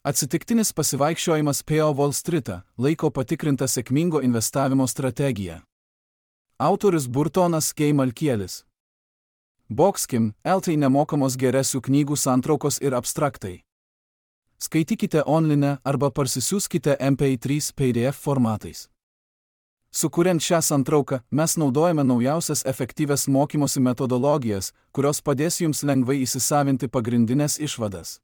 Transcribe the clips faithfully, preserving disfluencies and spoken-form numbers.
Atsitiktinis pasivaikščiojimas po Wall Streetą laiko patikrintą sėkmingo investavimo strategiją. Autorius Burtonas G. Malkielis. Boxkim, L T nemokamos geresių knygų santraukos ir abstraktai. Skaitykite online arba parsisiųskite M P trys P D F formatais. Sukuriant šią santrauką, mes naudojame naujausias efektyvias mokymosi metodologijas, kurios padės jums lengvai įsisavinti pagrindinės išvadas.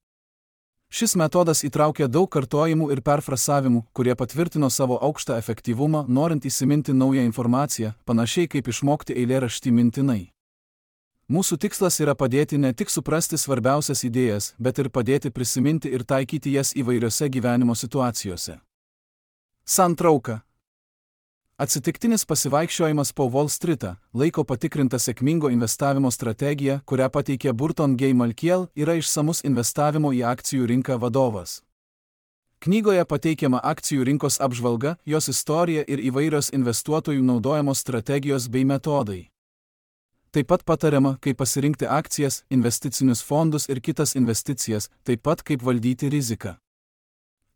Šis metodas įtraukia daug kartojimų ir perfrasavimų, kurie patvirtino savo aukštą efektyvumą, norint įsiminti naują informaciją, panašiai kaip išmokti eilėraštį mintinai. Mūsų tikslas yra padėti ne tik suprasti svarbiausias idėjas, bet ir padėti prisiminti ir taikyti jas įvairiose gyvenimo situacijose. Santrauka. Atsitiktinis pasivaikščiojimas po Wall Streetą laiko patikrintą sėkmingo investavimo strategiją, kurią pateikė Burton G. Malkiel, yra išsamus investavimo į akcijų rinką vadovas. Knygoje pateikiama akcijų rinkos apžvalga, jos istorija ir įvairios investuotojų naudojamos strategijos bei metodai. Taip pat patariama, kaip pasirinkti akcijas, investicinius fondus ir kitas investicijas, taip pat kaip valdyti riziką.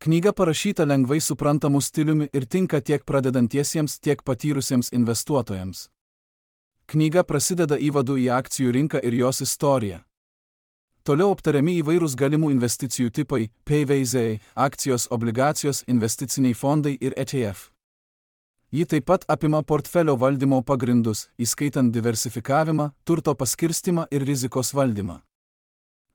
Knyga parašyta lengvai suprantamu stiliumi ir tinka tiek pradedantiesiems, tiek patyrusiems investuotojams. Knyga prasideda įvadu į akcijų rinką ir jos istoriją. Toliau aptariami įvairūs galimų investicijų tipai – P V Z, akcijos, obligacijos, investiciniai fondai ir E T F. Ji taip pat apima portfelio valdymo pagrindus, įskaitant diversifikavimą, turto paskirstimą ir rizikos valdymą.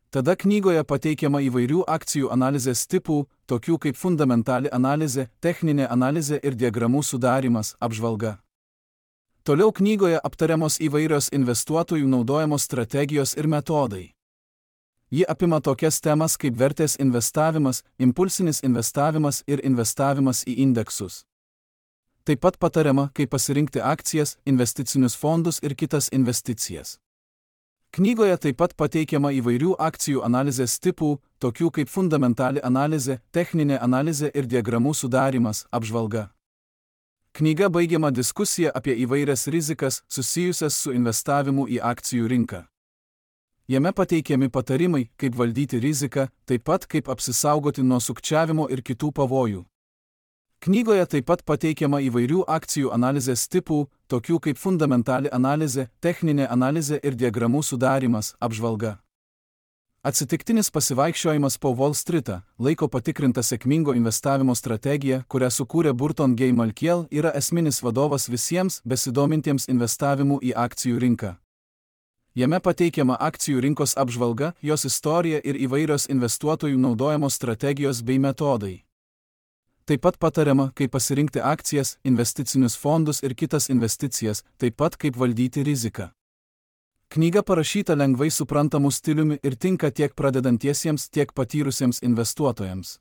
Tada knygoje pateikiama įvairių akcijų analizės tipų, tokių kaip fundamentali analizė, techninė analizė ir diagramų sudarymas, apžvalga. Toliau knygoje aptariamos įvairios investuotojų naudojamos strategijos ir metodai. Ji apima tokias temas kaip vertės investavimas, impulsinis investavimas ir investavimas į indeksus. Taip pat patariama, kaip pasirinkti akcijas, investicinius fondus ir kitas investicijas. Knygoje taip pat pateikiama įvairių akcijų analizės tipų, tokių kaip fundamentali analizė, techninė analizė ir diagramų sudarymas, apžvalga. Knyga baigiama diskusija apie įvairias rizikas susijusias su investavimu į akcijų rinką. Jame pateikiami patarimai, kaip valdyti riziką, taip pat kaip apsisaugoti nuo sukčiavimo ir kitų pavojų. Knygoje taip pat pateikiama įvairių akcijų analizės tipų, tokių kaip fundamentali analizė, techninė analizė ir diagramų sudarymas, apžvalga. Atsitiktinis pasivaikščiojimas po Wall Streetą laiko patikrintą sėkmingo investavimo strategiją, kurią sukūrė Burton G. Malkiel, yra esminis vadovas visiems besidomintiems investavimu į akcijų rinką. Jame pateikiama akcijų rinkos apžvalga, jos istorija ir įvairios investuotojų naudojamos strategijos bei metodai. Taip pat patariama, kaip pasirinkti akcijas, investicinius fondus ir kitas investicijas, taip pat kaip valdyti riziką. Knyga parašyta lengvai suprantamu stiliumi ir tinka tiek pradedantiesiems, tiek patyrusiems investuotojams.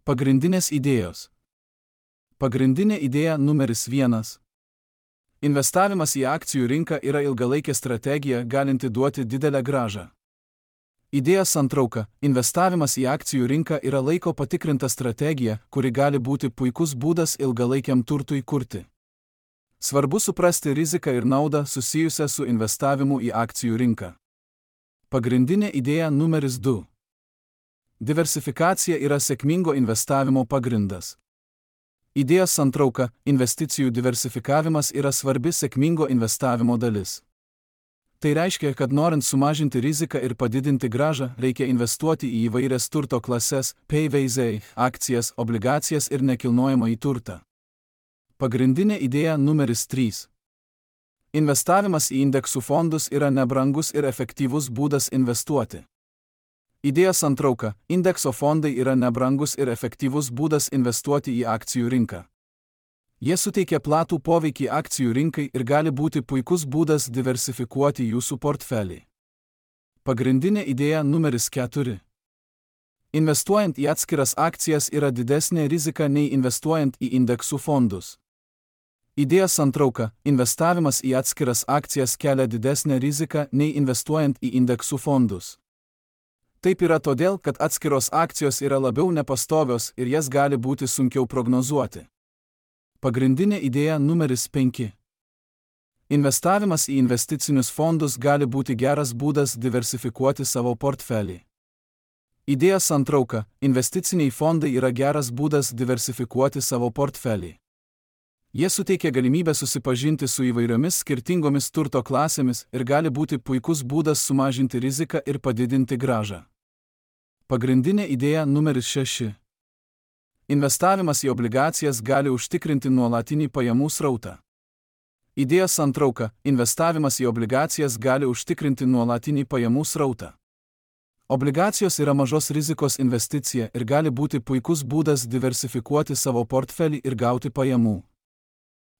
Pagrindinės idėjos. Pagrindinė idėja numeris vienas. Investavimas į akcijų rinką yra ilgalaikė strategija, galinti duoti didelę grąžą. Idėja santrauka. Investavimas į akcijų rinką yra laiko patikrinta strategija, kuri gali būti puikus būdas ilgalaikiam turtui kurti. Svarbu suprasti riziką ir naudą susijusią su investavimu į akcijų rinką. Pagrindinė idėja numeris du. Diversifikacija yra sėkmingo investavimo pagrindas. Idėja santrauka. Investicijų diversifikavimas yra svarbi sėkmingo investavimo dalis. Tai reiškia, kad norint sumažinti riziką ir padidinti grąžą, reikia investuoti į įvairias turto klases, P V Z, akcijas, obligacijas ir nekilnojamąjį turtą. Pagrindinė idėja numeris trys. Investavimas į indeksų fondus yra nebrangus ir efektyvus būdas investuoti. Idėja santrauka. Indekso fondai yra nebrangus ir efektyvus būdas investuoti į akcijų rinką. Jie suteikia platų poveikį akcijų rinkai ir gali būti puikus būdas diversifikuoti jūsų portfelį. Pagrindinė idėja numeris keturi. Investuojant į atskiras akcijas yra didesnė rizika nei investuojant į indeksų fondus. Idėja santrauka. Investavimas į atskiras akcijas kelia didesnę riziką nei investuojant į indeksų fondus. Taip yra todėl, kad atskiros akcijos yra labiau nepastovios ir jas gali būti sunkiau prognozuoti. Pagrindinė idėja numeris penki. Investavimas į investicinius fondus gali būti geras būdas diversifikuoti savo portfelį. Idėja santrauka – investiciniai fondai yra geras būdas diversifikuoti savo portfelį. Jie suteikia galimybę susipažinti su įvairiomis skirtingomis turto klasėmis ir gali būti puikus būdas sumažinti riziką ir padidinti grąžą. Pagrindinė idėja numeris šeši. Investavimas į obligacijas gali užtikrinti nuolatinį pajamų srautą. Idėja santrauka – investavimas į obligacijas gali užtikrinti nuolatinį pajamų srautą. Obligacijos yra mažos rizikos investicija ir gali būti puikus būdas diversifikuoti savo portfelį ir gauti pajamų.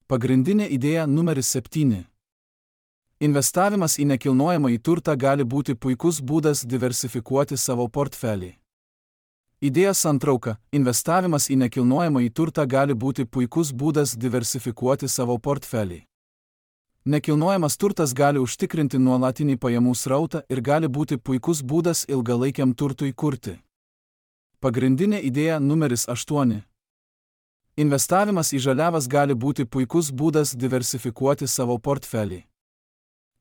Pagrindinė idėja numeris septyni. Investavimas į nekilnojamąjį turtą gali būti puikus būdas diversifikuoti savo portfelį. Idėja santrauka – investavimas į nekilnojamąjį turtą gali būti puikus būdas diversifikuoti savo portfelį. Nekilnojamas turtas gali užtikrinti nuolatinį pajamų srautą ir gali būti puikus būdas ilgalaikiam turtui kurti. Pagrindinė idėja numeris aštuoni. Investavimas į žaliavas gali būti puikus būdas diversifikuoti savo portfelį.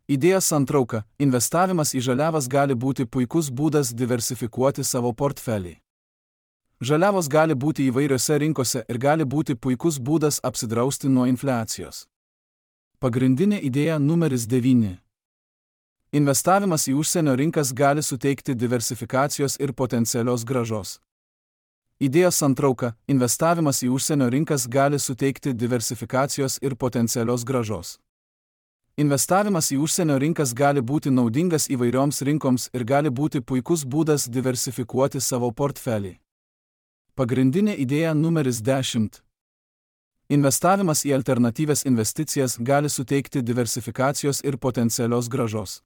Idėja santrauka – investavimas į žaliavas gali būti puikus būdas diversifikuoti savo portfelį. Žaliavos gali būti įvairiose rinkose ir gali būti puikus būdas apsidrausti nuo infliacijos. Pagrindinė idėja numeris devyni. Investavimas į užsienio rinkas gali suteikti diversifikacijos ir potencialios grąžos. Idėja santrauka – investavimas į užsienio rinkas gali suteikti diversifikacijos ir potencialios grąžos. Investavimas į užsienio rinkas gali būti naudingas įvairioms rinkoms ir gali būti puikus būdas diversifikuoti savo portfelį. Pagrindinė idėja numeris dešimt. Investavimas į alternatyvias investicijas gali suteikti diversifikacijos ir potencialios grąžos.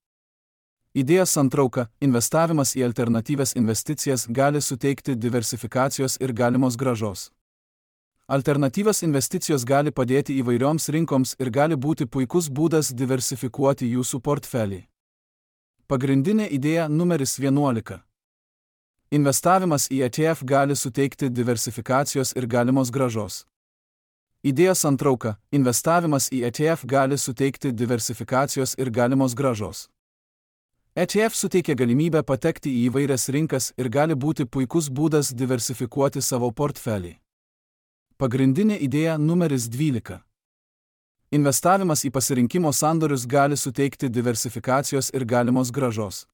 Idėja santrauka – investavimas į alternatyvias investicijas gali suteikti diversifikacijos ir galimos grąžos. Alternatyvios investicijos gali padėti įvairioms rinkoms ir gali būti puikus būdas diversifikuoti jūsų portfelį. Pagrindinė idėja numeris vienuolika. Investavimas į E T F gali suteikti diversifikacijos ir galimos grąžos. Idėja santrauka – investavimas į E T F gali suteikti diversifikacijos ir galimos grąžos. E T F suteikia galimybę patekti į įvairias rinkas ir gali būti puikus būdas diversifikuoti savo portfelį. Pagrindinė idėja numeris dvylika. Investavimas į pasirinkimo sandorius gali suteikti diversifikacijos ir galimos grąžos.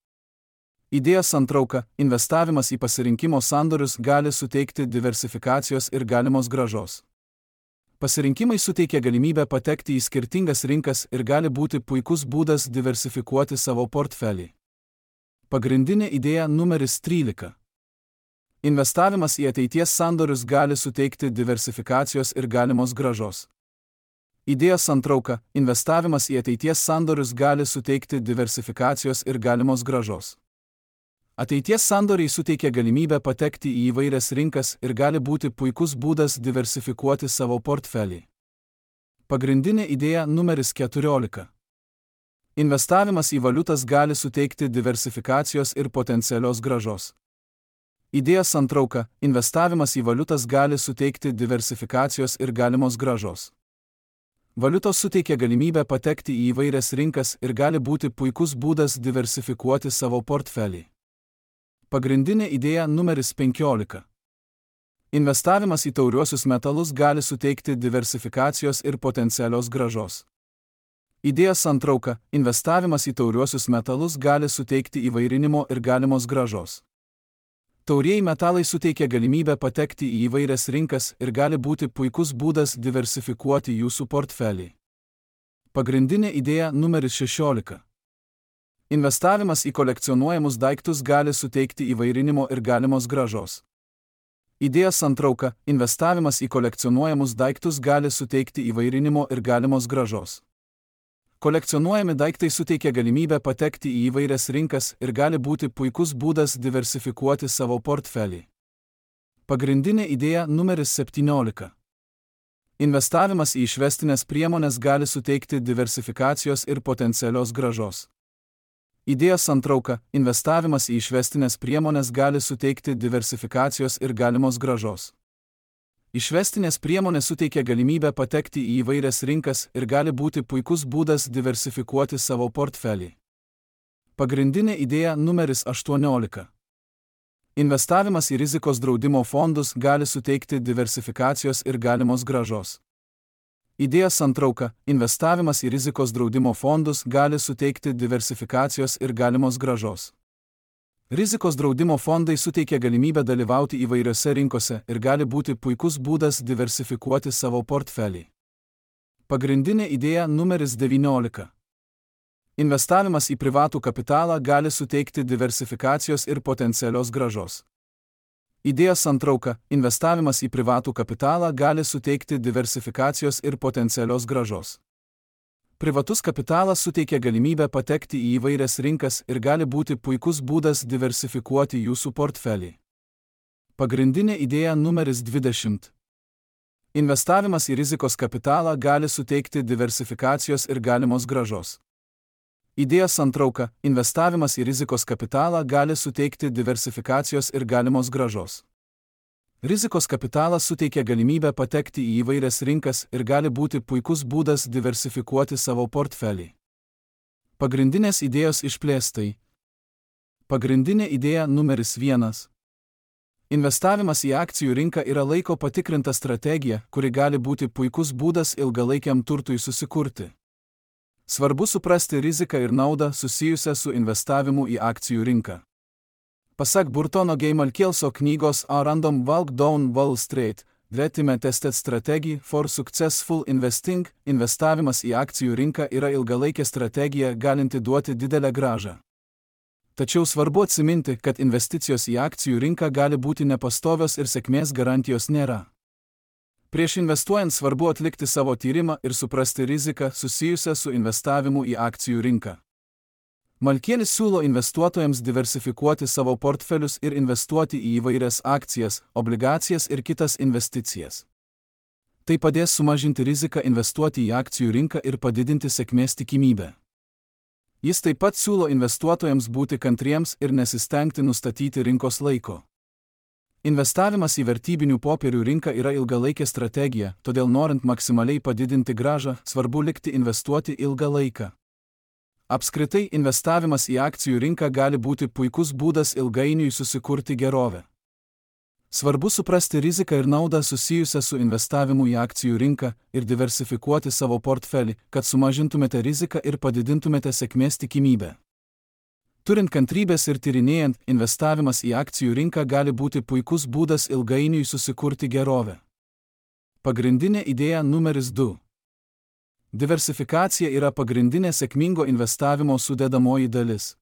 Idėja santrauka – investavimas į pasirinkimo sandorius gali suteikti diversifikacijos ir galimos grąžos. Pasirinkimai suteikia galimybę patekti į skirtingas rinkas ir gali būti puikus būdas diversifikuoti savo portfelį. Pagrindinė idėja numeris trylika. Investavimas į ateities sandorius gali suteikti diversifikacijos ir galimos grąžos. Idėja santrauka – investavimas į ateities sandorius gali suteikti diversifikacijos ir galimos grąžos. Ateities sandoriai suteikia galimybę patekti į įvairias rinkas ir gali būti puikus būdas diversifikuoti savo portfelį. Pagrindinė idėja numeris keturiolika. Investavimas į valiutas gali suteikti diversifikacijos ir potencialios grąžos. Idėja santrauka – investavimas į valiutas gali suteikti diversifikacijos ir galimos grąžos. Valiutos suteikia galimybę patekti į įvairias rinkas ir gali būti puikus būdas diversifikuoti savo portfelį. Pagrindinė idėja numeris penkiolika. Investavimas į tauriuosius metalus gali suteikti diversifikacijos ir potencialios grąžos. Idėja santrauka – investavimas į tauriuosius metalus gali suteikti įvairinimo ir galimos grąžos. Taurieji metalai suteikia galimybę patekti į įvairias rinkas ir gali būti puikus būdas diversifikuoti jūsų portfelį. Pagrindinė idėja numeris šešiolika. Investavimas į kolekcionuojamus daiktus gali suteikti įvairinimo ir galimos grąžos. Idėja santrauka – investavimas į kolekcionuojamus daiktus gali suteikti įvairinimo ir galimos grąžos. Kolekcionuojami daiktai suteikia galimybę patekti į įvairias rinkas ir gali būti puikus būdas diversifikuoti savo portfelį. Pagrindinė idėja numeris septyniolika. Investavimas į išvestinės priemonės gali suteikti diversifikacijos ir potencialios grąžos. Idėja santrauka – investavimas į išvestinės priemonės gali suteikti diversifikacijos ir galimos grąžos. Išvestinės priemonės suteikia galimybę patekti į įvairias rinkas ir gali būti puikus būdas diversifikuoti savo portfelį. Pagrindinė idėja numeris aštuoniolika. Investavimas į rizikos draudimo fondus gali suteikti diversifikacijos ir galimos grąžos. Idėjos santrauka – investavimas į rizikos draudimo fondus gali suteikti diversifikacijos ir galimos grąžos. Rizikos draudimo fondai suteikia galimybę dalyvauti įvairiose rinkose ir gali būti puikus būdas diversifikuoti savo portfelį. Pagrindinė idėja numeris devyniolika. Investavimas į privatų kapitalą gali suteikti diversifikacijos ir potencialios grąžos. Idėjos santrauka – investavimas į privatų kapitalą gali suteikti diversifikacijos ir potencialios grąžos. Privatus kapitalas suteikia galimybę patekti į įvairias rinkas ir gali būti puikus būdas diversifikuoti jūsų portfelį. Pagrindinė idėja numeris dvidešimt. Investavimas į rizikos kapitalą gali suteikti diversifikacijos ir galimos grąžos. Idėjos santrauka – investavimas į rizikos kapitalą gali suteikti diversifikacijos ir galimos grąžos. Rizikos kapitalas suteikia galimybę patekti į įvairias rinkas ir gali būti puikus būdas diversifikuoti savo portfelį. Pagrindinės idėjos išplėstai. Pagrindinė idėja numeris vienas. Investavimas į akcijų rinką yra laiko patikrinta strategija, kuri gali būti puikus būdas ilgalaikiam turtui susikurti. Svarbu suprasti riziką ir naudą susijusią su investavimu į akcijų rinką. Pasak Burtono G. Malkielso knygos A Random Walk Down Wall Street, Vetime Tested Strategy for Successful Investing, investavimas į akcijų rinką yra ilgalaikė strategija galinti duoti didelę grąžą. Tačiau svarbu atsiminti, kad investicijos į akcijų rinką gali būti nepastovios ir sėkmės garantijos nėra. Prieš investuojant svarbu atlikti savo tyrimą ir suprasti riziką susijusią su investavimu į akcijų rinką. Malkielis siūlo investuotojams diversifikuoti savo portfelius ir investuoti į įvairias akcijas, obligacijas ir kitas investicijas. Tai padės sumažinti riziką investuoti į akcijų rinką ir padidinti sėkmės tikimybę. Jis taip pat siūlo investuotojams būti kantriems ir nesistengti nustatyti rinkos laiko. Investavimas į vertybinių popierių rinką yra ilgalaikė strategija, todėl norint maksimaliai padidinti grąžą, svarbu likti investuoti ilgą laiką. Apskritai, investavimas į akcijų rinką gali būti puikus būdas ilgainiui susikurti gerovę. Svarbu suprasti riziką ir naudą susijusią su investavimu į akcijų rinką ir diversifikuoti savo portfelį, kad sumažintumėte riziką ir padidintumėte sėkmės tikimybę. Turint kantrybės ir tyrinėjant, investavimas į akcijų rinką gali būti puikus būdas ilgainiui susikurti gerovę. Pagrindinė idėja numeris du. Diversifikacija yra pagrindinė sėkmingo investavimo sudedamoji dalis.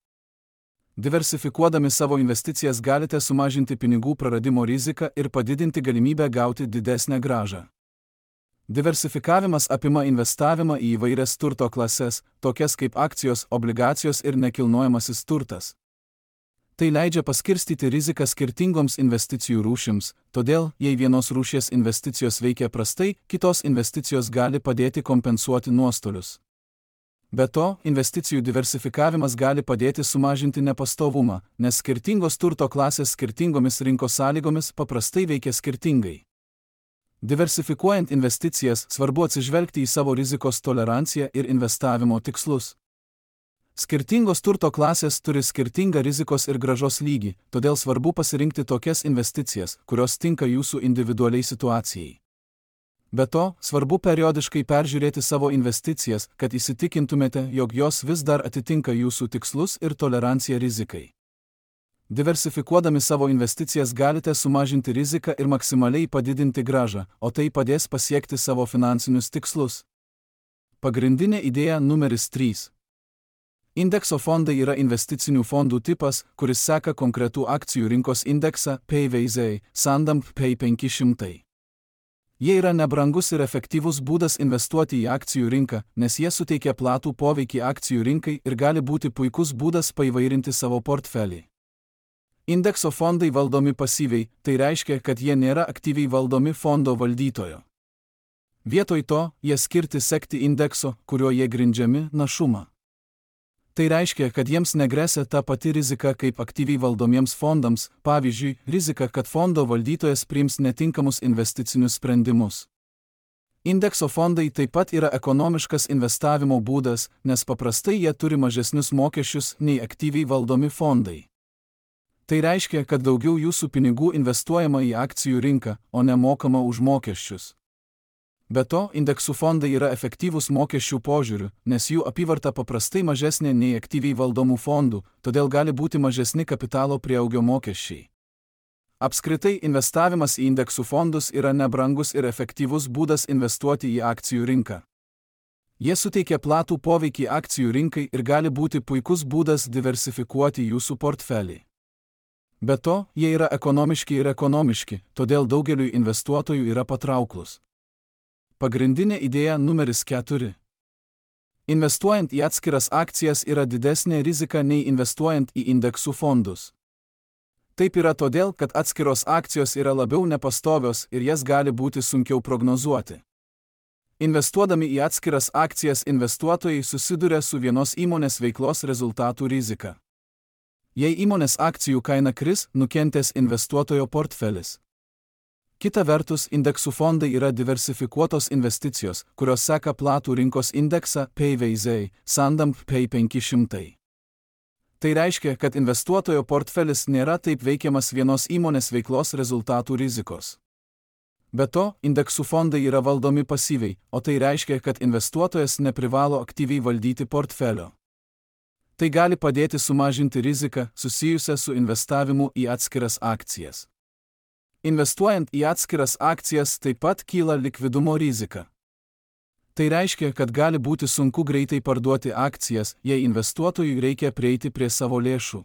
Diversifikuodami savo investicijas galite sumažinti pinigų praradimo riziką ir padidinti galimybę gauti didesnę grąžą. Diversifikavimas apima investavimą į įvairias turto klases, tokias kaip akcijos, obligacijos ir nekilnojamasis turtas. Tai leidžia paskirstyti riziką skirtingoms investicijų rūšims, todėl, jei vienos rūšies investicijos veikia prastai, kitos investicijos gali padėti kompensuoti nuostolius. Be to, investicijų diversifikavimas gali padėti sumažinti nepastovumą, nes skirtingos turto klasės skirtingomis rinkos sąlygomis paprastai veikia skirtingai. Diversifikuojant investicijas, svarbu atsižvelgti į savo rizikos toleranciją ir investavimo tikslus. Skirtingos turto klasės turi skirtingą rizikos ir grąžos lygį, todėl svarbu pasirinkti tokias investicijas, kurios tinka jūsų individualiai situacijai. Be to, svarbu periodiškai peržiūrėti savo investicijas, kad įsitikintumėte, jog jos vis dar atitinka jūsų tikslus ir toleranciją rizikai. Diversifikuodami savo investicijas galite sumažinti riziką ir maksimaliai padidinti grąžą, o tai padės pasiekti savo finansinius tikslus. Pagrindinė idėja numeris trys. Indekso fondai yra investicinių fondų tipas, kuris seka konkretų akcijų rinkos indeksą P V Z, Sandam P penki šimtai. Jie yra nebrangus ir efektyvus būdas investuoti į akcijų rinką, nes jie suteikia platų poveikį akcijų rinkai ir gali būti puikus būdas paįvairinti savo portfelį. Indekso fondai valdomi pasyviai, tai reiškia, kad jie nėra aktyviai valdomi fondo valdytojo. Vietoj to, jie skirti sekti indekso, kuriuo jie grindžiami, našumą. Tai reiškia, kad jiems negresia ta pati rizika kaip aktyviai valdomiems fondams, pavyzdžiui, rizika, kad fondo valdytojas priims netinkamus investicinius sprendimus. Indekso fondai taip pat yra ekonomiškas investavimo būdas, nes paprastai jie turi mažesnius mokesčius nei aktyviai valdomi fondai. Tai reiškia, kad daugiau jūsų pinigų investuojama į akcijų rinką, o ne mokama už mokesčius. Be to, indeksų fondai yra efektyvūs mokesčių požiūriu, nes jų apyvarta paprastai mažesnė nei aktyviai valdomų fondų, todėl gali būti mažesni kapitalo prieaugio mokesčiai. Apskritai, investavimas į indeksų fondus yra nebrangus ir efektyvus būdas investuoti į akcijų rinką. Jie suteikia platų poveikį akcijų rinkai ir gali būti puikus būdas diversifikuoti jūsų portfelį. Be to, jie yra ekonomiški ir ekonomiški, todėl daugeliui investuotojų yra patrauklus. Pagrindinė idėja numeris keturi. Investuojant į atskiras akcijas yra didesnė rizika nei investuojant į indeksų fondus. Taip yra todėl, kad atskiros akcijos yra labiau nepastovios ir jas gali būti sunkiau prognozuoti. Investuodami į atskiras akcijas investuotojai susiduria su vienos įmonės veiklos rezultatų rizika. Jei įmonės akcijų kaina kris, nukentės investuotojo portfelis. Kita vertus, indeksų fondai yra diversifikuotos investicijos, kurios seka platų rinkos indeksą P V Z, Sandam P penki šimtai. Tai reiškia, kad investuotojo portfelis nėra taip veikiamas vienos įmonės veiklos rezultatų rizikos. Be to, indeksų fondai yra valdomi pasyviai, o tai reiškia, kad investuotojas neprivalo aktyviai valdyti portfelio. Tai gali padėti sumažinti riziką susijusią su investavimu į atskiras akcijas. Investuojant į atskiras akcijas taip pat kyla likvidumo rizika. Tai reiškia, kad gali būti sunku greitai parduoti akcijas, jei investuotojui reikia prieiti prie savo lėšų.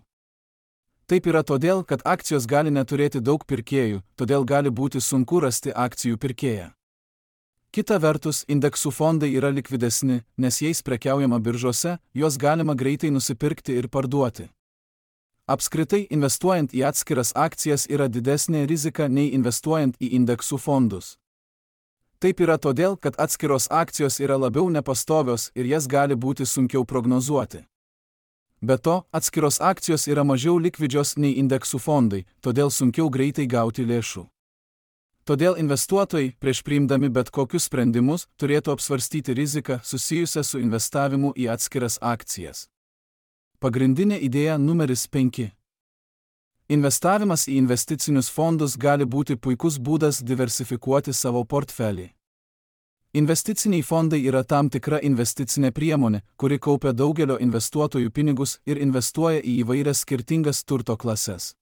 Taip yra todėl, kad akcijos gali neturėti daug pirkėjų, todėl gali būti sunku rasti akcijų pirkėją. Kita vertus, indeksų fondai yra likvidesni, nes jais prekiaujama biržose, juos galima greitai nusipirkti ir parduoti. Apskritai, investuojant į atskiras akcijas yra didesnė rizika nei investuojant į indeksų fondus. Taip yra todėl, kad atskiros akcijos yra labiau nepastovios ir jas gali būti sunkiau prognozuoti. Be to, atskiros akcijos yra mažiau likvidžios nei indeksų fondai, todėl sunkiau greitai gauti lėšų. Todėl investuotojai, prieš priimdami bet kokius sprendimus, turėtų apsvarstyti riziką susijusią su investavimu į atskiras akcijas. Pagrindinė idėja numeris penki. Investavimas į investicinius fondus gali būti puikus būdas diversifikuoti savo portfelį. Investiciniai fondai yra tam tikra investicinė priemonė, kuri kaupia daugelio investuotojų pinigus ir investuoja į įvairias skirtingas turto klases.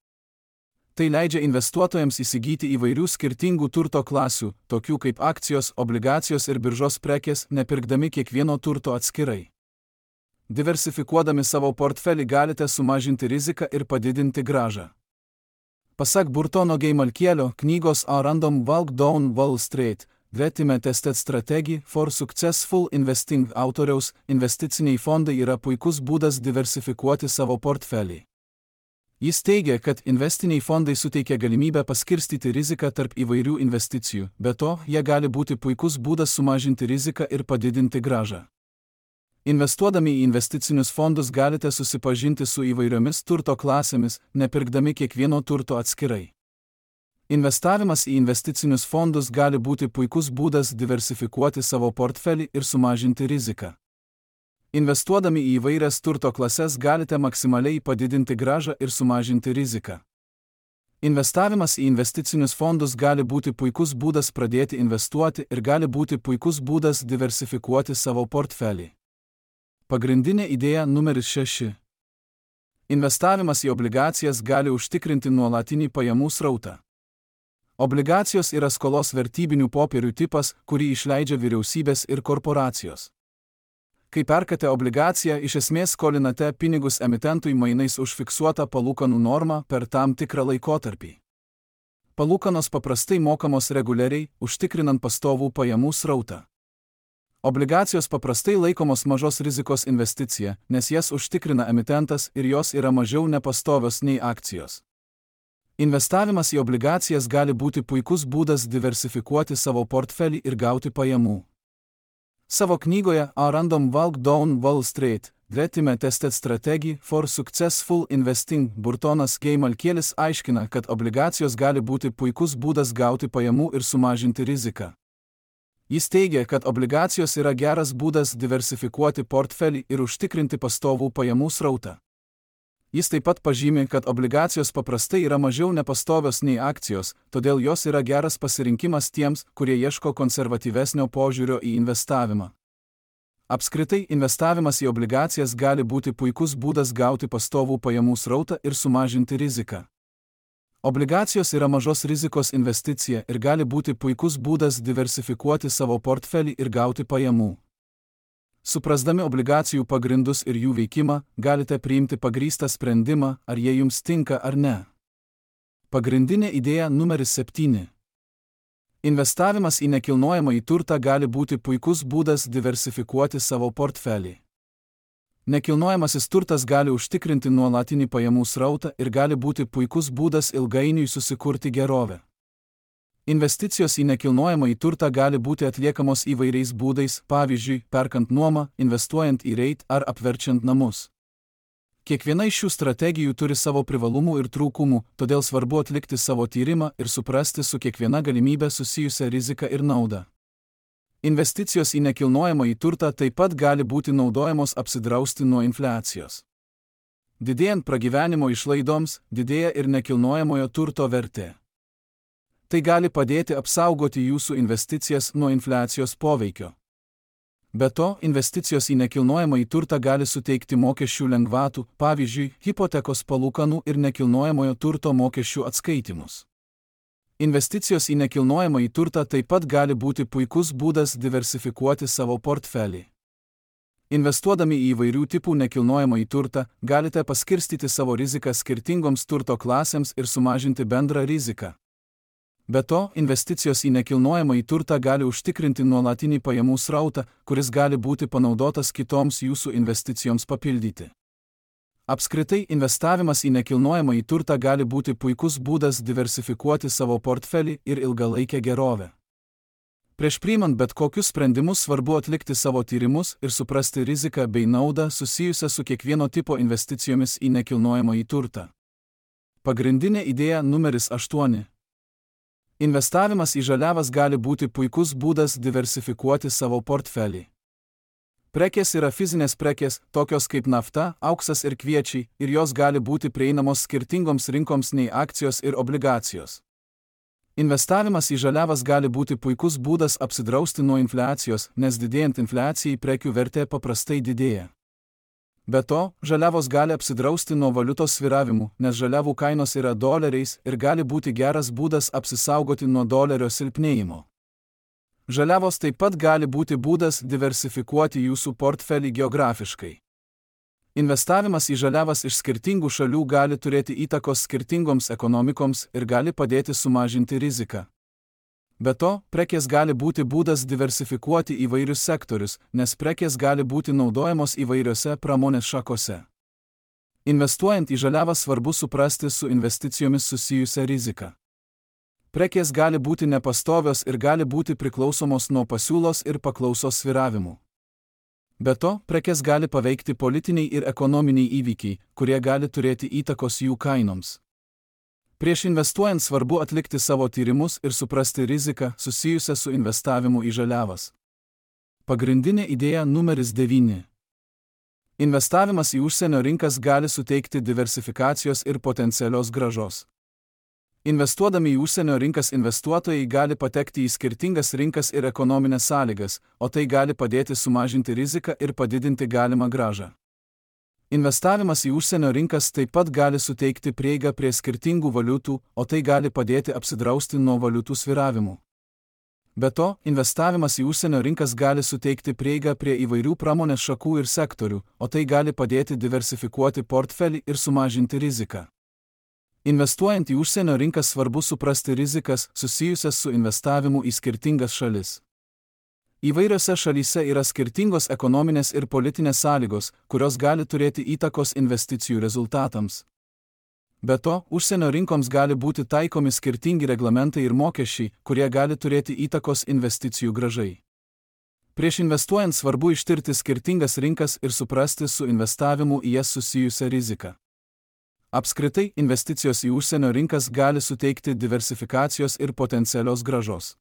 Tai leidžia investuotojams įsigyti įvairių skirtingų turto klasių, tokių kaip akcijos, obligacijos ir biržos prekės, nepirkdami kiekvieno turto atskirai. Diversifikuodami savo portfelį galite sumažinti riziką ir padidinti grąžą. Pasak Burtono G. Malkielio knygos A Random Walk Down Wall Street, Vetime Tested Strategy for Successful Investing autoriaus, investiciniai fondai yra puikus būdas diversifikuoti savo portfelį. Jis teigia, kad investiciniai fondai suteikia galimybę paskirstyti riziką tarp įvairių investicijų, be to, jie gali būti puikus būdas sumažinti riziką ir padidinti grąžą. Investuodami į investicinius fondus galite susipažinti su įvairiomis turto klasėmis, nepirkdami kiekvieno turto atskirai. Investavimas į investicinius fondus gali būti puikus būdas diversifikuoti savo portfelį ir sumažinti riziką. Investuodami į įvairias turto klases galite maksimaliai padidinti grąžą ir sumažinti riziką. Investavimas į investicinius fondus gali būti puikus būdas pradėti investuoti ir gali būti puikus būdas diversifikuoti savo portfelį. Pagrindinė idėja numeris šeši. Investavimas į obligacijas gali užtikrinti nuolatinį pajamų srautą. Obligacijos yra skolos vertybinių popierių tipas, kurį išleidžia vyriausybės ir korporacijos. Kai perkate obligaciją, iš esmės skolinate pinigus emitentui mainais už fiksuotą palūkanų normą per tam tikrą laikotarpį. Palūkanos paprastai mokamos reguliariai, užtikrinant pastovų pajamų srautą. Obligacijos paprastai laikomos mažos rizikos investicija, nes jas užtikrina emitentas ir jos yra mažiau nepastovios nei akcijos. Investavimas į obligacijas gali būti puikus būdas diversifikuoti savo portfelį ir gauti pajamų. Savo knygoje A Random Walk Down Wall Street, Vetime Tested Strategy for Successful Investing Burtonas G. Malkielis aiškina, kad obligacijos gali būti puikus būdas gauti pajamų ir sumažinti riziką. Jis teigia, kad obligacijos yra geras būdas diversifikuoti portfelį ir užtikrinti pastovų pajamų srautą. Jis taip pat pažymi, kad obligacijos paprastai yra mažiau nepastovios nei akcijos, todėl jos yra geras pasirinkimas tiems, kurie ieško konservatyvesnio požiūrio į investavimą. Apskritai, investavimas į obligacijas gali būti puikus būdas gauti pastovų pajamų srautą ir sumažinti riziką. Obligacijos yra mažos rizikos investicija ir gali būti puikus būdas diversifikuoti savo portfelį ir gauti pajamų. Suprasdami obligacijų pagrindus ir jų veikimą, galite priimti pagrįstą sprendimą, ar jie jums tinka ar ne. Pagrindinė idėja numeris septyni. Investavimas į nekilnojamąjį turtą gali būti puikus būdas diversifikuoti savo portfelį. Nekilnojamasis turtas gali užtikrinti nuolatinį pajamų srautą ir gali būti puikus būdas ilgainiui susikurti gerovę. Investicijos į nekilnojamąjį turtą gali būti atliekamos įvairiais būdais, pavyzdžiui, perkant nuomą, investuojant į reit ar apverčiant namus. Kiekviena iš šių strategijų turi savo privalumų ir trūkumų, todėl svarbu atlikti savo tyrimą ir suprasti su kiekviena galimybė susijusią riziką ir naudą. Investicijos į nekilnojamąjį turtą taip pat gali būti naudojamos apsidrausti nuo infliacijos. Didėjant pragyvenimo išlaidoms, didėja ir nekilnojamojo turto vertė. Tai gali padėti apsaugoti jūsų investicijas nuo infliacijos poveikio. Be to, investicijos į nekilnojamąjį turtą gali suteikti mokesčių lengvatų, pavyzdžiui, hipotekos palūkanų ir nekilnojamojo turto mokesčių atskaitimus. Investicijos į nekilnojamąjį turtą taip pat gali būti puikus būdas diversifikuoti savo portfelį. Investuodami į įvairių tipų nekilnojamąjį turtą, galite paskirstyti savo riziką skirtingoms turto klasėms ir sumažinti bendrą riziką. Be to, investicijos į nekilnojamąjį turtą gali užtikrinti nuolatinį pajamų srautą, kuris gali būti panaudotas kitoms jūsų investicijoms papildyti. Apskritai, investavimas į nekilnojamąjį turtą gali būti puikus būdas diversifikuoti savo portfelį ir ilgalaikę gerovę. Prieš priimant bet kokius sprendimus svarbu atlikti savo tyrimus ir suprasti riziką bei naudą susijusią su kiekvieno tipo investicijomis į nekilnojamąjį turtą. Pagrindinė idėja numeris aštuoni. Investavimas į žaliavas gali būti puikus būdas diversifikuoti savo portfelį. Prekės yra fizinės prekės, tokios kaip nafta, auksas ir kviečiai, ir jos gali būti prieinamos skirtingoms rinkoms nei akcijos ir obligacijos. Investavimas į žaliavas gali būti puikus būdas apsidrausti nuo infliacijos, nes didėjant infliacijai prekių vertė paprastai didėja. Be to, žaliavos gali apsidrausti nuo valiutos svyravimų, nes žaliavų kainos yra doleriais ir gali būti geras būdas apsisaugoti nuo dolerio silpnėjimo. Žaliavos taip pat gali būti būdas diversifikuoti jūsų portfelį geografiškai. Investavimas į žaliavas iš skirtingų šalių gali turėti įtakos skirtingoms ekonomikoms ir gali padėti sumažinti riziką. Be to, prekės gali būti būdas diversifikuoti įvairius sektorius, nes prekės gali būti naudojamos įvairiose pramonės šakose. Investuojant į žaliavas svarbu suprasti su investicijomis susijusią riziką. Prekės gali būti nepastovios ir gali būti priklausomos nuo pasiūlos ir paklausos svyravimų. Be to, prekės gali paveikti politiniai ir ekonominiai įvykiai, kurie gali turėti įtakos jų kainoms. Prieš investuojant svarbu atlikti savo tyrimus ir suprasti riziką susijusią su investavimu į žaliavas. Pagrindinė idėja numeris devyni. Investavimas į užsienio rinkas gali suteikti diversifikacijos ir potencialios grąžos. Investuodami į užsienio rinkas investuotojai gali patekti į skirtingas rinkas ir ekonominės sąlygas, o tai gali padėti sumažinti riziką ir padidinti galimą grąžą. Investavimas į užsienio rinkas taip pat gali suteikti prieigą prie skirtingų valiutų, o tai gali padėti apsidrausti nuo valiutų svyravimų. Be to, investavimas į užsienio rinkas gali suteikti prieigą prie įvairių pramonės šakų ir sektorių, o tai gali padėti diversifikuoti portfelį ir sumažinti riziką. Investuojant į užsienio rinkas svarbu suprasti rizikas susijusias su investavimu į skirtingas šalis. Įvairiose šalyse yra skirtingos ekonominės ir politinės sąlygos, kurios gali turėti įtakos investicijų rezultatams. Be to, užsienio rinkoms gali būti taikomi skirtingi reglamentai ir mokesčiai, kurie gali turėti įtakos investicijų grąžai. Prieš investuojant svarbu ištirti skirtingas rinkas ir suprasti su investavimu į jas susijusią riziką. Apskritai, investicijos į užsienio rinkas gali suteikti diversifikacijos ir potencialios grąžos.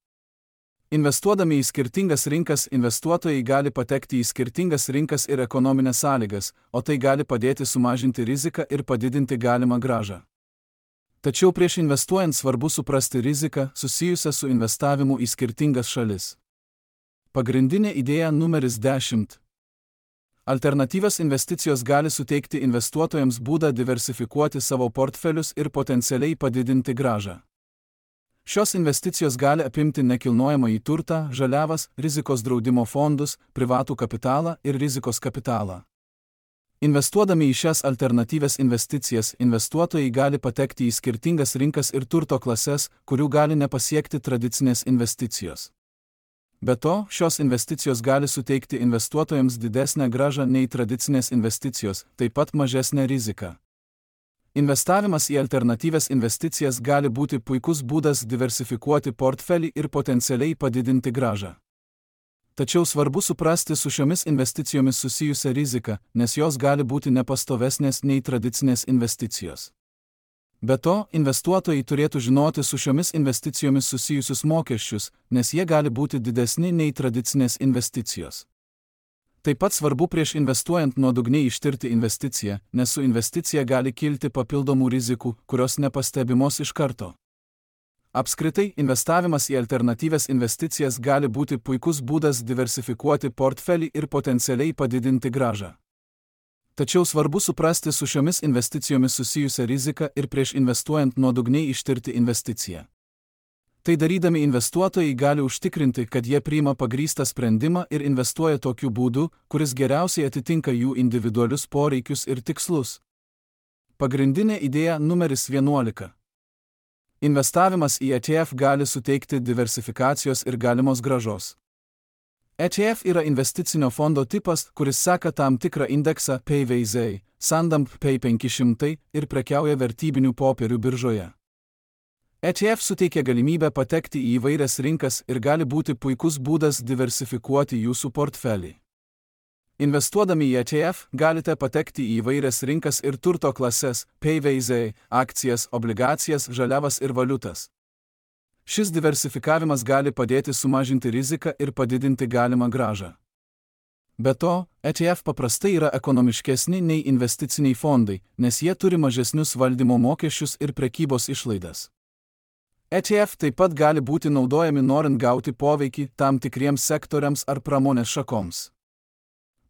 Investuodami į skirtingas rinkas, investuotojai gali patekti į skirtingas rinkas ir ekonominės sąlygas, o tai gali padėti sumažinti riziką ir padidinti galimą grąžą. Tačiau prieš investuojant svarbu suprasti riziką susijusią su investavimu į skirtingas šalis. Pagrindinė idėja numeris dešimt. Alternatyvios investicijos gali suteikti investuotojams būdą diversifikuoti savo portfelius ir potencialiai padidinti grąžą. Šios investicijos gali apimti nekilnojamąjį turtą, žaliavas, rizikos draudimo fondus, privatų kapitalą ir rizikos kapitalą. Investuodami į šias alternatyvias investicijas, investuotojai gali patekti į skirtingas rinkas ir turto klases, kurių gali nepasiekti tradicinės investicijos. Be to, šios investicijos gali suteikti investuotojams didesnę grąžą nei tradicinės investicijos, taip pat mažesnę riziką. Investavimas į alternatyvias investicijas gali būti puikus būdas diversifikuoti portfelį ir potencialiai padidinti grąžą. Tačiau svarbu suprasti su šiomis investicijomis susijusią riziką, nes jos gali būti nepastovesnės nei tradicinės investicijos. Be to, investuotojai turėtų žinoti su šiomis investicijomis susijusius mokesčius, nes jie gali būti didesni nei tradicinės investicijos. Taip pat svarbu prieš investuojant nuodugniai ištirti investiciją, nes su investicija gali kilti papildomų rizikų, kurios nepastebimos iš karto. Apskritai, investavimas į alternatyvias investicijas gali būti puikus būdas diversifikuoti portfelį ir potencialiai padidinti grąžą. Tačiau svarbu suprasti su šiomis investicijomis susijusią riziką ir prieš investuojant nuodugniai ištirti investiciją. Tai darydami investuotojai gali užtikrinti, kad jie priima pagrįstą sprendimą ir investuoja tokiu būdu, kuris geriausiai atitinka jų individualius poreikius ir tikslus. Pagrindinė idėja numeris vienuolika. Investavimas į E T F gali suteikti diversifikacijos ir galimos grąžos. E T F yra investicinio fondo tipas, kuris seka tam tikrą indeksą P V Z, Sandam P penki šimtai ir prekiauja vertybinių popierių biržoje. E T F suteikia galimybę patekti į įvairias rinkas ir gali būti puikus būdas diversifikuoti jūsų portfelį. Investuodami į E T F galite patekti į įvairias rinkas ir turto klases P V Z, akcijas, obligacijas, žaliavas ir valiutas. Šis diversifikavimas gali padėti sumažinti riziką ir padidinti galimą grąžą. Be to, E T F paprastai yra ekonomiškesni nei investiciniai fondai, nes jie turi mažesnius valdymo mokesčius ir prekybos išlaidas. E T F taip pat gali būti naudojami norint gauti poveikį tam tikriems sektoriams ar pramonės šakoms.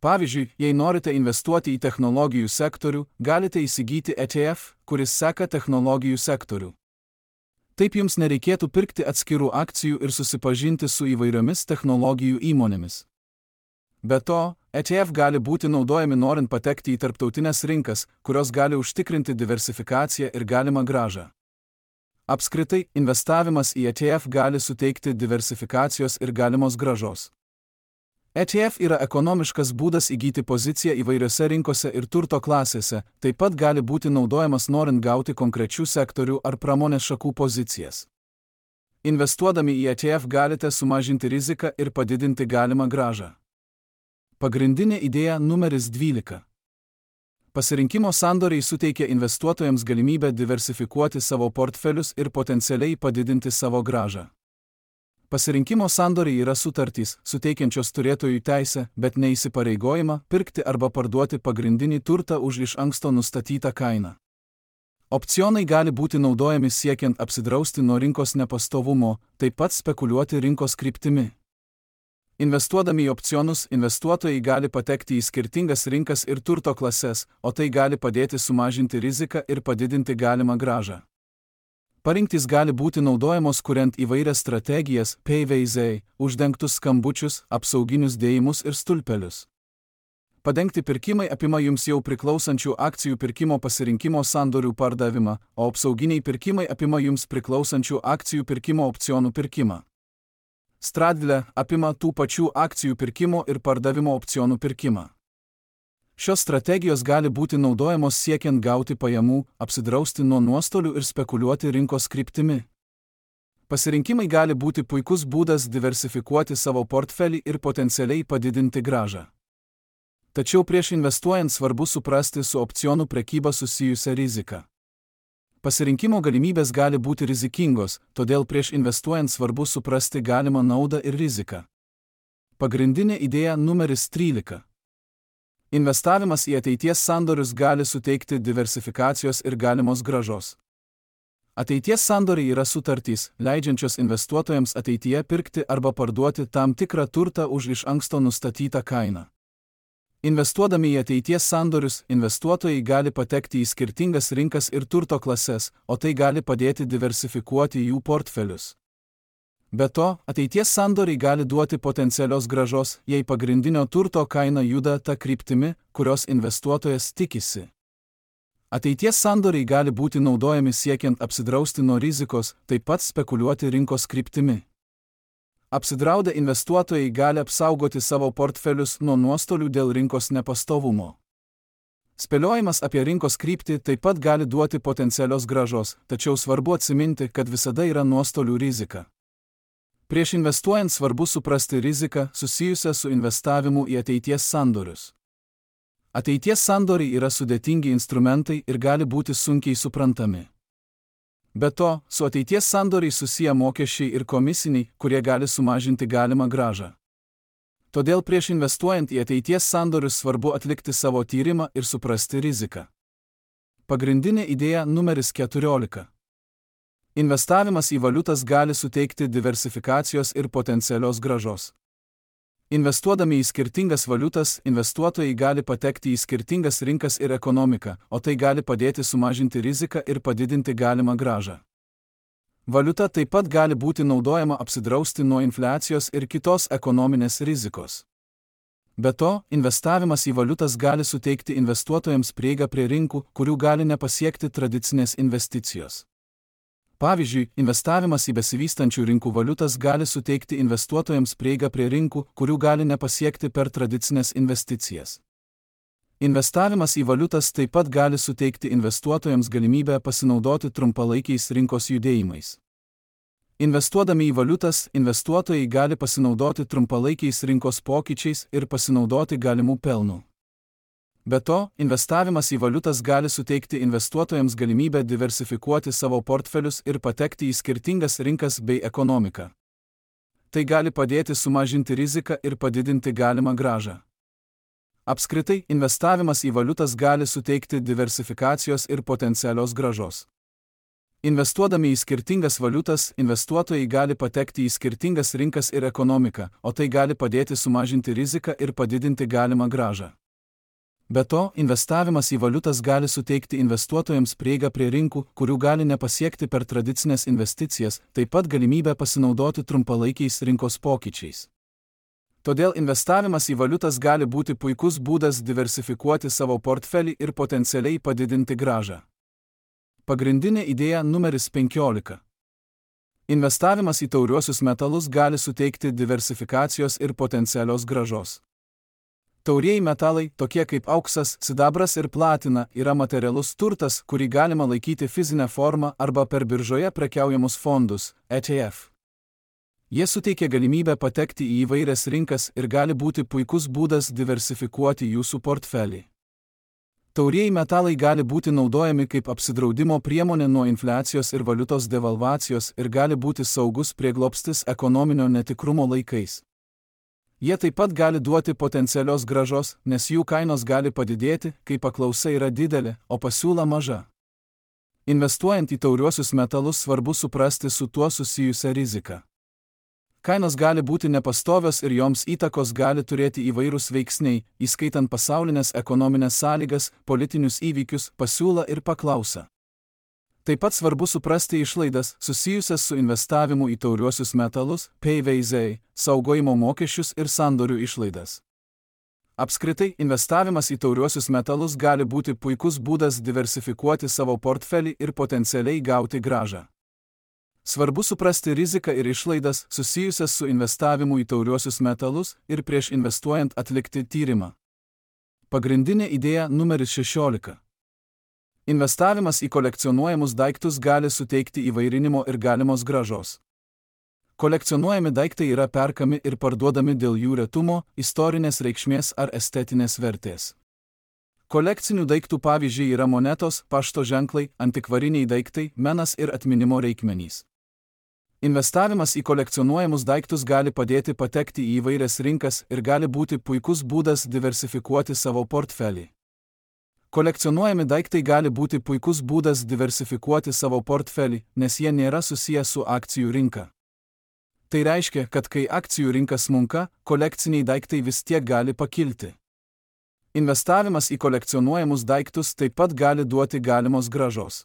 Pavyzdžiui, jei norite investuoti į technologijų sektorių, galite įsigyti E T F, kuris seka technologijų sektorių. Taip jums nereikėtų pirkti atskirų akcijų ir susipažinti su įvairiomis technologijų įmonėmis. Be to, E T F gali būti naudojami norint patekti į tarptautinės rinkas, kurios gali užtikrinti diversifikaciją ir galimą grąžą. Apskritai, investavimas į E T F gali suteikti diversifikacijos ir galimos grąžos. E T F yra ekonomiškas būdas įgyti poziciją įvairiose rinkose ir turto klasėse, taip pat gali būti naudojamas norint gauti konkrečių sektorių ar pramonės šakų pozicijas. Investuodami į E T F galite sumažinti riziką ir padidinti galimą grąžą. Pagrindinė idėja numeris dvylika. Pasirinkimo sandoriai suteikia investuotojams galimybę diversifikuoti savo portfelius ir potencialiai padidinti savo grąžą. Pasirinkimo sandoriai yra sutartys, suteikiančios turėtojų teisę, bet ne įsipareigojimą pirkti arba parduoti pagrindinį turtą už iš anksto nustatytą kainą. Opcionai gali būti naudojami siekiant apsidrausti nuo rinkos nepastovumo, taip pat spekuliuoti rinkos kryptimi. Investuodami į opcionus, investuotojai gali patekti į skirtingas rinkas ir turto klases, o tai gali padėti sumažinti riziką ir padidinti galimą grąžą. Parinktis gali būti naudojamos kuriant įvairias strategijas, P V Z, uždengtus skambučius, apsauginius dėjimus ir stulpelius. Padengti pirkimai apima jums jau priklausančių akcijų pirkimo pasirinkimo sandorių pardavimą, o apsauginiai pirkimai apima jums priklausančių akcijų pirkimo opcionų pirkimą. Straddle apima tų pačių akcijų pirkimo ir pardavimo opcionų pirkimą. Šios strategijos gali būti naudojamos siekiant gauti pajamų, apsidrausti nuo nuostolių ir spekuliuoti rinkos kryptimi. Pasirinkimai gali būti puikus būdas diversifikuoti savo portfelį ir potencialiai padidinti grąžą. Tačiau prieš investuojant svarbu suprasti su opcionų prekyba susijusią riziką. Pasirinkimo galimybės gali būti rizikingos, todėl prieš investuojant svarbu suprasti galimą naudą ir riziką. Pagrindinė idėja numeris trylika. Investavimas į ateities sandorius gali suteikti diversifikacijos ir galimos grąžos. Ateities sandoriai yra sutartys, leidžiančios investuotojams ateityje pirkti arba parduoti tam tikrą turtą už iš anksto nustatytą kainą. Investuodami į ateities sandorius, investuotojai gali patekti į skirtingas rinkas ir turto klases, o tai gali padėti diversifikuoti jų portfelius. Be to, ateities sandoriai gali duoti potencialios grąžos, jei pagrindinio turto kaina juda ta kryptimi, kurios investuotojas tikisi. Ateities sandoriai gali būti naudojami siekiant apsidrausti nuo rizikos, taip pat spekuliuoti rinkos kryptimi. Apsidraudę investuotojai gali apsaugoti savo portfelius nuo nuostolių dėl rinkos nepastovumo. Spėliojimas apie rinkos kryptį taip pat gali duoti potencialios grąžos, tačiau svarbu atsiminti, kad visada yra nuostolių rizika. Prieš investuojant svarbu suprasti riziką susijusią su investavimu į ateities sandorius. Ateities sandoriai yra sudėtingi instrumentai ir gali būti sunkiai suprantami. Be to, su ateities sandoriai susiję mokesčiai ir komisiniai, kurie gali sumažinti galimą grąžą. Todėl prieš investuojant į ateities sandorius svarbu atlikti savo tyrimą ir suprasti riziką. Pagrindinė idėja numeris keturiolika. Investavimas į valiutas gali suteikti diversifikacijos ir potencialios grąžos. Investuodami į skirtingas valiutas, investuotojai gali patekti į skirtingas rinkas ir ekonomiką, o tai gali padėti sumažinti riziką ir padidinti galimą grąžą. Valiuta taip pat gali būti naudojama apsidrausti nuo infliacijos ir kitos ekonominės rizikos. Be to, investavimas į valiutas gali suteikti investuotojams prieigą prie rinkų, kurių gali nepasiekti tradicinės investicijos. Pavyzdžiui, investavimas į besivystančių rinkų valiutas gali suteikti investuotojams prieigą prie rinkų, kurių gali nepasiekti per tradicinės investicijas. Investavimas į valiutas taip pat gali suteikti investuotojams galimybę pasinaudoti trumpalaikiais rinkos judėjimais. Investuodami į valiutas, investuotojai gali pasinaudoti trumpalaikiais rinkos pokyčiais ir pasinaudoti galimų pelnų. Be to, investavimas į valiutas gali suteikti investuotojams galimybę diversifikuoti savo portfelius ir patekti į skirtingas rinkas bei ekonomiką. Tai gali padėti sumažinti riziką ir padidinti galimą grąžą. Apskritai, investavimas į valiutas gali suteikti diversifikacijos ir potencialios grąžos. Investuodami į skirtingas valiutas, investuotojai gali patekti į skirtingas rinkas ir ekonomiką, o tai gali padėti sumažinti riziką ir padidinti galimą grąžą. Be to, investavimas į valiutas gali suteikti investuotojams prieigą prie rinkų, kurių gali nepasiekti per tradicinės investicijas, taip pat galimybę pasinaudoti trumpalaikiais rinkos pokyčiais. Todėl investavimas į valiutas gali būti puikus būdas diversifikuoti savo portfelį ir potencialiai padidinti grąžą. Pagrindinė idėja numeris penkiolika. Investavimas į tauriuosius metalus gali suteikti diversifikacijos ir potencialios grąžos. Taurieji metalai, tokie kaip auksas, sidabras ir platina, yra materialus turtas, kurį galima laikyti fizinę formą arba per biržoje prekiaujamus fondus, E T F. Jie suteikia galimybę patekti į įvairias rinkas ir gali būti puikus būdas diversifikuoti jūsų portfelį. Taurieji metalai gali būti naudojami kaip apsidraudimo priemonė nuo infliacijos ir valiutos devalvacijos ir gali būti saugus prieglobstis ekonominio netikrumo laikais. Jie taip pat gali duoti potencialios grąžos, nes jų kainos gali padidėti, kai paklausa yra didelė, o pasiūla maža. Investuojant į tauriuosius metalus svarbu suprasti su tuo susijusią riziką. Kainos gali būti nepastovios ir joms įtakos gali turėti įvairūs veiksniai, įskaitant pasaulinės ekonominės sąlygas, politinius įvykius, pasiūlą ir paklausą. Taip pat svarbu suprasti išlaidas, susijusias su investavimu į tauriuosius metalus, P V Z, saugojimo mokesčius ir sandorių išlaidas. Apskritai, investavimas į tauriuosius metalus gali būti puikus būdas diversifikuoti savo portfelį ir potencialiai gauti grąžą. Svarbu suprasti riziką ir išlaidas, susijusias su investavimu į tauriuosius metalus ir prieš investuojant atlikti tyrimą. Pagrindinė idėja numeris šešiolika. Investavimas į kolekcionuojamus daiktus gali suteikti įvairinimo ir galimos grąžos. Kolekcionuojami daiktai yra perkami ir parduodami dėl jų retumo, istorinės reikšmės ar estetinės vertės. Kolekcinių daiktų pavyzdžiai yra monetos, pašto ženklai, antikvariniai daiktai, menas ir atminimo reikmenys. Investavimas į kolekcionuojamus daiktus gali padėti patekti į įvairias rinkas ir gali būti puikus būdas diversifikuoti savo portfelį. Kolekcionuojami daiktai gali būti puikus būdas diversifikuoti savo portfelį, nes jie nėra susiję su akcijų rinka. Tai reiškia, kad kai akcijų rinka smunka, kolekciniai daiktai vis tiek gali pakilti. Investavimas į kolekcionuojamus daiktus taip pat gali duoti galimos grąžos.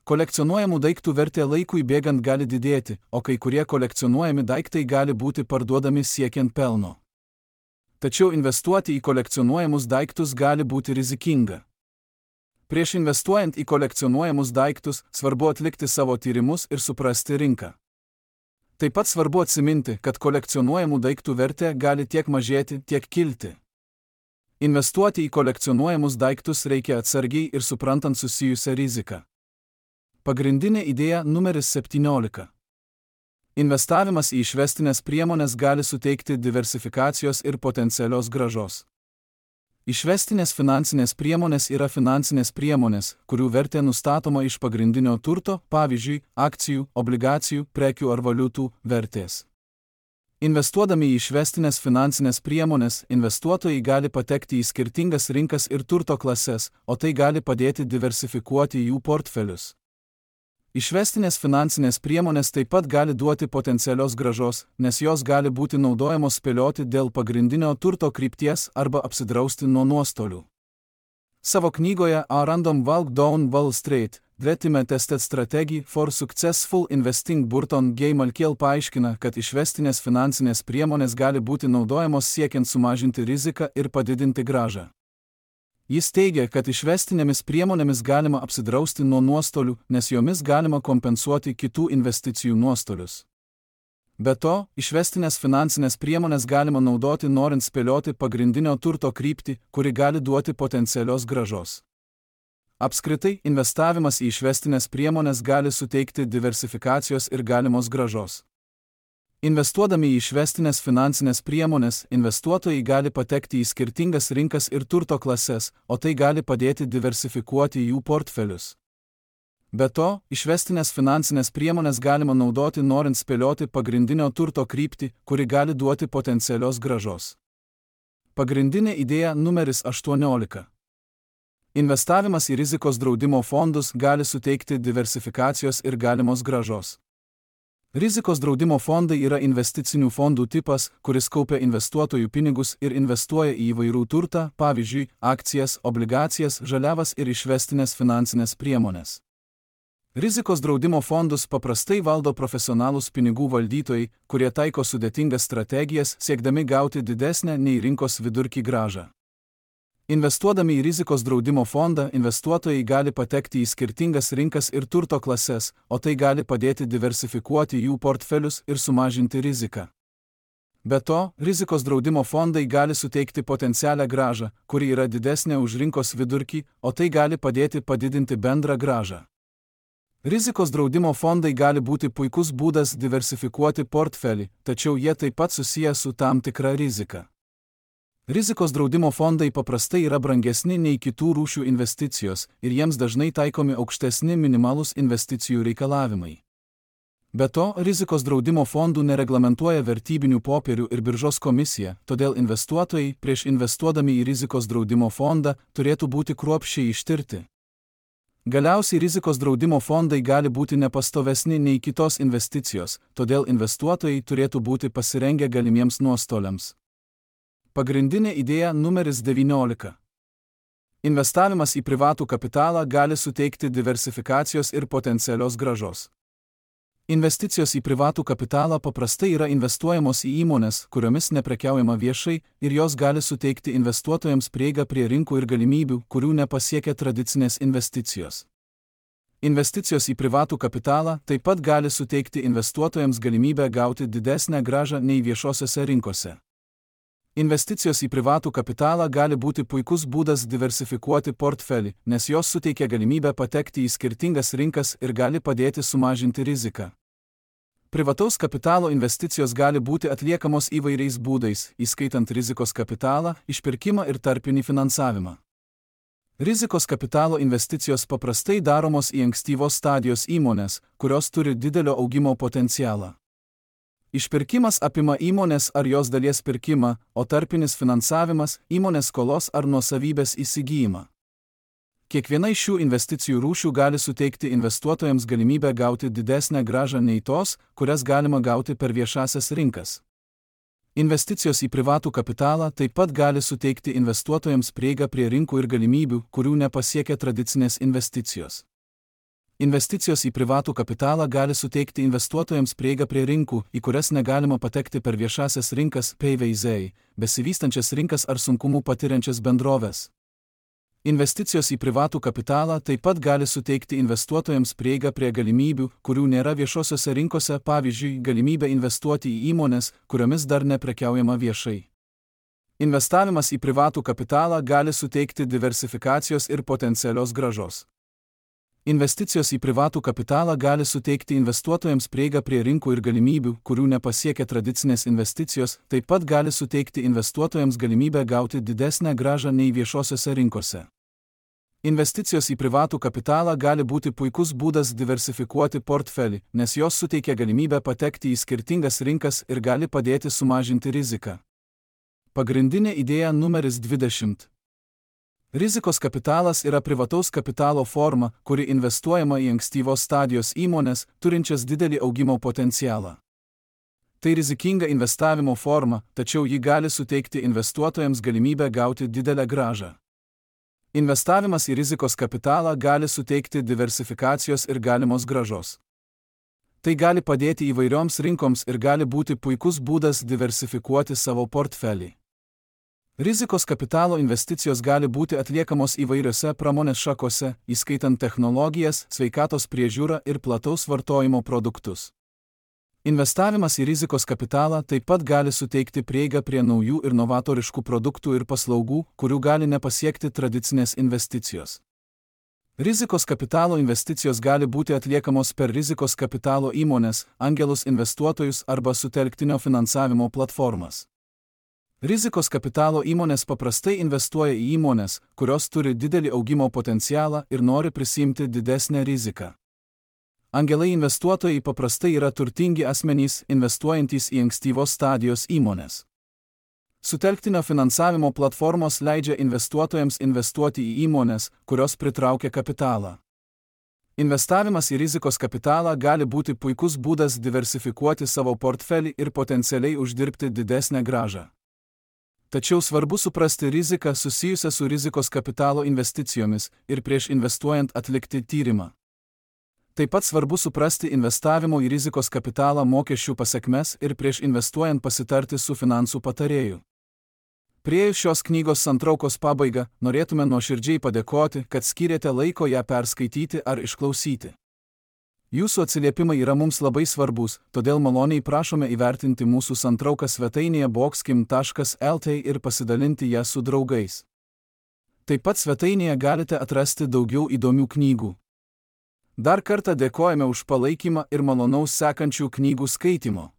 Kolekcionuojamų daiktų vertė laikui bėgant gali didėti, o kai kurie kolekcionuojami daiktai gali būti parduodami siekiant pelno. Tačiau investuoti į kolekcionuojamus daiktus gali būti rizikinga. Prieš investuojant į kolekcionuojamus daiktus, svarbu atlikti savo tyrimus ir suprasti rinką. Taip pat svarbu atsiminti, kad kolekcionuojamų daiktų vertė gali tiek mažėti, tiek kilti. Investuoti į kolekcionuojamus daiktus reikia atsargiai ir suprantant susijusią riziką. Pagrindinė idėja numeris septyniolika. Investavimas į išvestinės priemonės gali suteikti diversifikacijos ir potencialios grąžos. Išvestinės finansinės priemonės yra finansinės priemonės, kurių vertė nustatoma iš pagrindinio turto, pavyzdžiui, akcijų, obligacijų, prekių ar valiutų vertės. Investuodami į išvestinės finansinės priemonės, investuotojai gali patekti į skirtingas rinkas ir turto klases, o tai gali padėti diversifikuoti jų portfelius. Išvestinės finansinės priemonės taip pat gali duoti potencialios grąžos, nes jos gali būti naudojamos spėlioti dėl pagrindinio turto krypties arba apsidrausti nuo nuostolių. Savo knygoje A Random Walk Down Wall Street, Ultimate Tested Strategy for Successful Investing Burton G. Malkiel paaiškina, kad išvestinės finansinės priemonės gali būti naudojamos siekiant sumažinti riziką ir padidinti grąžą. Jis teigia, kad išvestinėmis priemonėmis galima apsidrausti nuo nuostolių, nes jomis galima kompensuoti kitų investicijų nuostolius. Be to, išvestinės finansinės priemonės galima naudoti norint spėlioti pagrindinio turto kryptį, kuri gali duoti potencialios grąžos. Apskritai, investavimas į išvestinės priemonės gali suteikti diversifikacijos ir galimos grąžos. Investuodami į išvestinės finansinės priemonės, investuotojai gali patekti į skirtingas rinkas ir turto klases, o tai gali padėti diversifikuoti jų portfelius. Be to, išvestinės finansinės priemonės galima naudoti norint spėlioti pagrindinio turto kryptį, kuri gali duoti potencialios grąžos. Pagrindinė idėja numeris aštuoniolika. Investavimas į rizikos draudimo fondus gali suteikti diversifikacijos ir galimos grąžos. Rizikos draudimo fondai yra investicinių fondų tipas, kuris kaupia investuotojų pinigus ir investuoja į įvairių turtą, pavyzdžiui, akcijas, obligacijas, žaliavas ir išvestinės finansinės priemonės. Rizikos draudimo fondus paprastai valdo profesionalūs pinigų valdytojai, kurie taiko sudėtingas strategijas, siekdami gauti didesnę nei rinkos vidurkį grąžą. Investuodami į rizikos draudimo fondą, investuotojai gali patekti į skirtingas rinkas ir turto klases, o tai gali padėti diversifikuoti jų portfelius ir sumažinti riziką. Be to, rizikos draudimo fondai gali suteikti potencialią grąžą, kuri yra didesnė už rinkos vidurkį, o tai gali padėti padidinti bendrą grąžą. Rizikos draudimo fondai gali būti puikus būdas diversifikuoti portfelį, tačiau jie taip pat susiję su tam tikra rizika. Rizikos draudimo fondai paprastai yra brangesni nei kitų rūšių investicijos ir jiems dažnai taikomi aukštesni minimalūs investicijų reikalavimai. Be to, rizikos draudimo fondų nereglamentuoja vertybinių popierių ir biržos komisija, todėl investuotojai, prieš investuodami į rizikos draudimo fondą, turėtų būti kruopščiai ištirti. Galiausiai rizikos draudimo fondai gali būti nepastovesni nei kitos investicijos, todėl investuotojai turėtų būti pasirengę galimiems nuostoliams. Pagrindinė idėja numeris devyniolika. Investavimas į privatų kapitalą gali suteikti diversifikacijos ir potencialios grąžos. Investicijos į privatų kapitalą paprastai yra investuojamos į įmones, kuriomis neprekiaujama viešai, ir jos gali suteikti investuotojams prieigą prie rinkų ir galimybių, kurių nepasiekia tradicinės investicijos. Investicijos į privatų kapitalą taip pat gali suteikti investuotojams galimybę gauti didesnę grąžą nei viešosiose rinkose. Investicijos į privatų kapitalą gali būti puikus būdas diversifikuoti portfelį, nes jos suteikia galimybę patekti į skirtingas rinkas ir gali padėti sumažinti riziką. Privataus kapitalo investicijos gali būti atliekamos įvairiais būdais, įskaitant rizikos kapitalą, išpirkimą ir tarpinį finansavimą. Rizikos kapitalo investicijos paprastai daromos į ankstyvos stadijos įmonės, kurios turi didelio augimo potencialą. Išpirkimas apima įmonės ar jos dalies pirkimą, o tarpinis finansavimas – įmonės skolos ar nuosavybės įsigijimą. Kiekviena iš šių investicijų rūšių gali suteikti investuotojams galimybę gauti didesnę grąžą nei tos, kurias galima gauti per viešąsias rinkas. Investicijos į privatų kapitalą taip pat gali suteikti investuotojams prieigą prie rinkų ir galimybių, kurių nepasiekia tradicinės investicijos. Investicijos į privatų kapitalą gali suteikti investuotojams prieigą prie rinkų, į kurias negalima patekti per viešąsias rinkas P V Z, besivystančias rinkas ar sunkumų patiriančias bendroves. Investicijos į privatų kapitalą taip pat gali suteikti investuotojams prieigą prie galimybių, kurių nėra viešosiose rinkose, pavyzdžiui, galimybę investuoti į įmonės, kuriomis dar neprekiaujama viešai. Investavimas į privatų kapitalą gali suteikti diversifikacijos ir potencialios grąžos. Investicijos į privatų kapitalą gali suteikti investuotojams prieigą prie rinkų ir galimybių, kurių nepasiekia tradicinės investicijos, taip pat gali suteikti investuotojams galimybę gauti didesnę grąžą nei viešosiose rinkose. Investicijos į privatų kapitalą gali būti puikus būdas diversifikuoti portfelį, nes jos suteikia galimybę patekti į skirtingas rinkas ir gali padėti sumažinti riziką. Pagrindinė idėja numeris dvidešimt. Rizikos kapitalas yra privataus kapitalo forma, kuri investuojama į ankstyvos stadijos įmonės, turinčias didelį augimo potencialą. Tai rizikinga investavimo forma, tačiau ji gali suteikti investuotojams galimybę gauti didelę grąžą. Investavimas į rizikos kapitalą gali suteikti diversifikacijos ir galimos grąžos. Tai gali padėti įvairioms rinkoms ir gali būti puikus būdas diversifikuoti savo portfelį. Rizikos kapitalo investicijos gali būti atliekamos įvairiose pramonės šakose, įskaitant technologijas, sveikatos priežiūrą ir plataus vartojimo produktus. Investavimas į rizikos kapitalą taip pat gali suteikti prieigą prie naujų ir novatoriškų produktų ir paslaugų, kurių gali nepasiekti tradicinės investicijos. Rizikos kapitalo investicijos gali būti atliekamos per rizikos kapitalo įmonės, angelus investuotojus arba sutelktinio finansavimo platformas. Rizikos kapitalo įmonės paprastai investuoja į įmonės, kurios turi didelį augimo potencialą ir nori prisiimti didesnę riziką. Angelai investuotojai paprastai yra turtingi asmenys, investuojantys į ankstyvos stadijos įmonės. Sutelktinio finansavimo platformos leidžia investuotojams investuoti į įmonės, kurios pritraukia kapitalą. Investavimas į rizikos kapitalą gali būti puikus būdas diversifikuoti savo portfelį ir potencialiai uždirbti didesnę grąžą. Tačiau svarbu suprasti riziką susijusią su rizikos kapitalo investicijomis ir prieš investuojant atlikti tyrimą. Taip pat svarbu suprasti investavimo į rizikos kapitalą mokesčių pasekmes ir prieš investuojant pasitarti su finansų patarėju. Priėjus šios knygos santraukos pabaigą, norėtume nuoširdžiai padėkoti, kad skyrėte laiko ją perskaityti ar išklausyti. Jūsų atsiliepimai yra mums labai svarbus, todėl maloniai prašome įvertinti mūsų santrauką svetainėje boxkim taškas L T ir pasidalinti ją su draugais. Taip pat svetainėje galite atrasti daugiau įdomių knygų. Dar kartą dėkojame už palaikymą ir malonaus sekančių knygų skaitimo.